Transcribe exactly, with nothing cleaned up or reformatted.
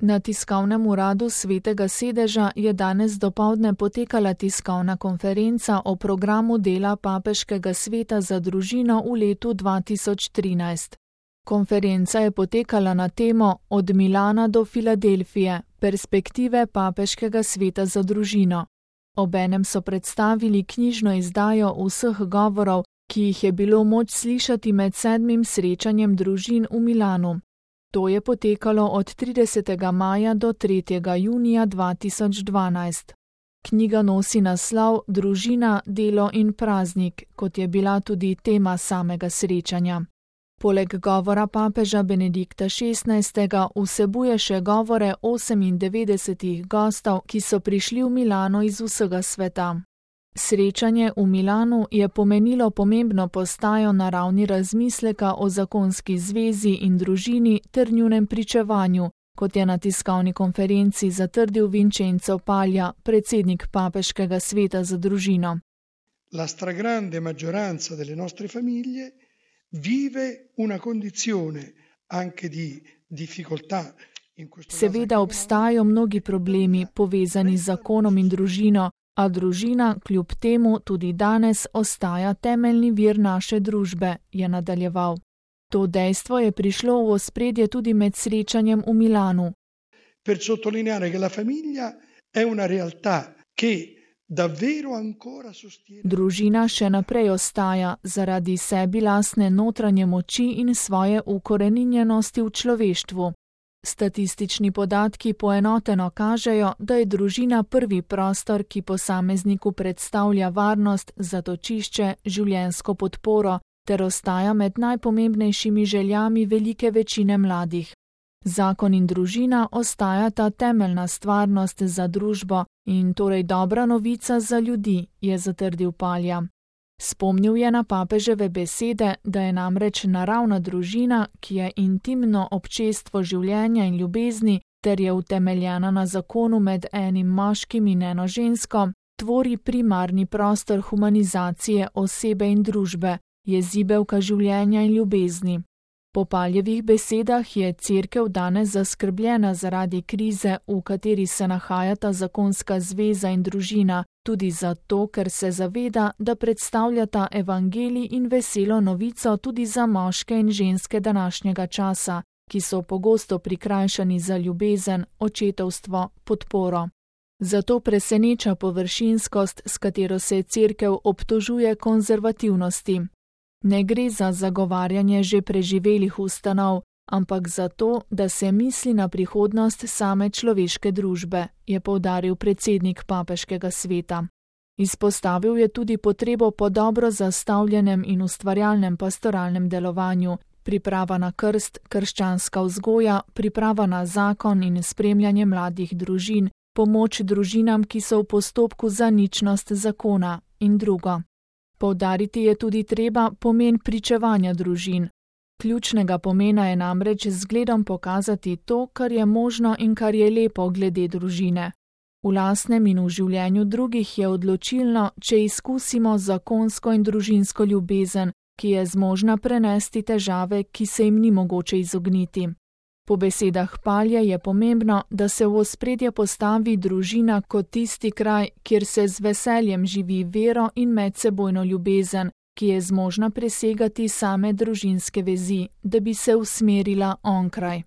Na tiskovnem uradu Svetega sedeža je danes dopoldne potekala tiskovna konferenca o programu dela Papeškega sveta za družino v letu dva tisoč trinajst. Konferenca je potekala na temo Od Milana do Filadelfije, perspektive Papeškega sveta za družino. Obenem so predstavili knjižno izdajo vseh govorov, ki jih je bilo moč slišati med sedmim srečanjem družin v Milanu. To je potekalo od tridesetega maja do tretjega junija dva tisoč dvanajst. Knjiga nosi naslov Družina, delo in praznik, kot je bila tudi tema samega srečanja. Poleg govora papeža Benedikta šestnajstega vsebuje še govore osemindevetdesetih gostov, ki so prišli v Milano iz vsega sveta. Srečanje v Milanu je pomenilo pomembno postajo na ravni razmisleka o zakonski zvezi in družini ter njunem pričevanju, kot je na tiskovni konferenci zatrdil Vincenzo Paglia, predsednik Papeškega sveta za družino. La stragrande maggioranza delle nostre famiglie vive una condizione anche di difficoltà. Seveda obstajajo mnogi problemi povezani z zakonom in družino, a družina kljub temu tudi danes ostaja temeljni vir naše družbe, je nadaljeval. To dejstvo je prišlo v ospredje tudi med srečanjem v Milanu. Per sottolineare che la famiglia è una realtà che davvero ancora sostiene. Družina še naprej ostaja zaradi sebi lastne notranje moči in svoje ukoreninjenosti v človeštvu. Statistični podatki poenoteno kažejo, da je družina prvi prostor, ki posamezniku predstavlja varnost, zatočišče, življenjsko podporo ter ostaja med najpomembnejšimi željami velike večine mladih. Zakon in družina ostajata temeljna stvarnost za družbo in torej dobra novica za ljudi, je zatrdil Paglia. Spomnil je na papeževe besede, da je namreč naravna družina, ki je intimno občestvo življenja in ljubezni ter je utemeljena na zakonu med enim moškim in eno žensko, tvori primarni prostor humanizacije osebe in družbe, je zibelka življenja in ljubezni. Po Paglievih besedah je Cerkev danes zaskrbljena zaradi krize, v kateri se nahajata zakonska zveza in družina, tudi zato, ker se zaveda, da predstavljata evangelij in veselo novico tudi za moške in ženske današnjega časa, ki so pogosto prikrajšani za ljubezen, očetovstvo, podporo. Zato preseneča površinskost, s katero se Cerkev obtožuje konzervativnosti. Ne gre za zagovarjanje že preživelih ustanov, ampak za to, da se misli na prihodnost same človeške družbe, je poudaril predsednik Papeškega sveta. Izpostavil je tudi potrebo po dobro zastavljenem in ustvarjalnem pastoralnem delovanju, priprava na krst, krščanska vzgoja, priprava na zakon in spremljanje mladih družin, pomoč družinam, ki so v postopku za ničnost zakona in drugo. Poudariti je tudi treba pomen pričevanja družin. Ključnega pomena je namreč z zgledom pokazati to, kar je možno in kar je lepo glede družine. V lastnem in v življenju drugih je odločilno, če izkusimo zakonsko in družinsko ljubezen, ki je zmožna prenesti težave, ki se jim ni mogoče izogniti. Po besedah Paglia je pomembno, da se v ospredje postavi družina kot tisti kraj, kjer se z veseljem živi vero in medsebojno ljubezen, ki je zmožna presegati same družinske vezi, da bi se usmerila onkraj.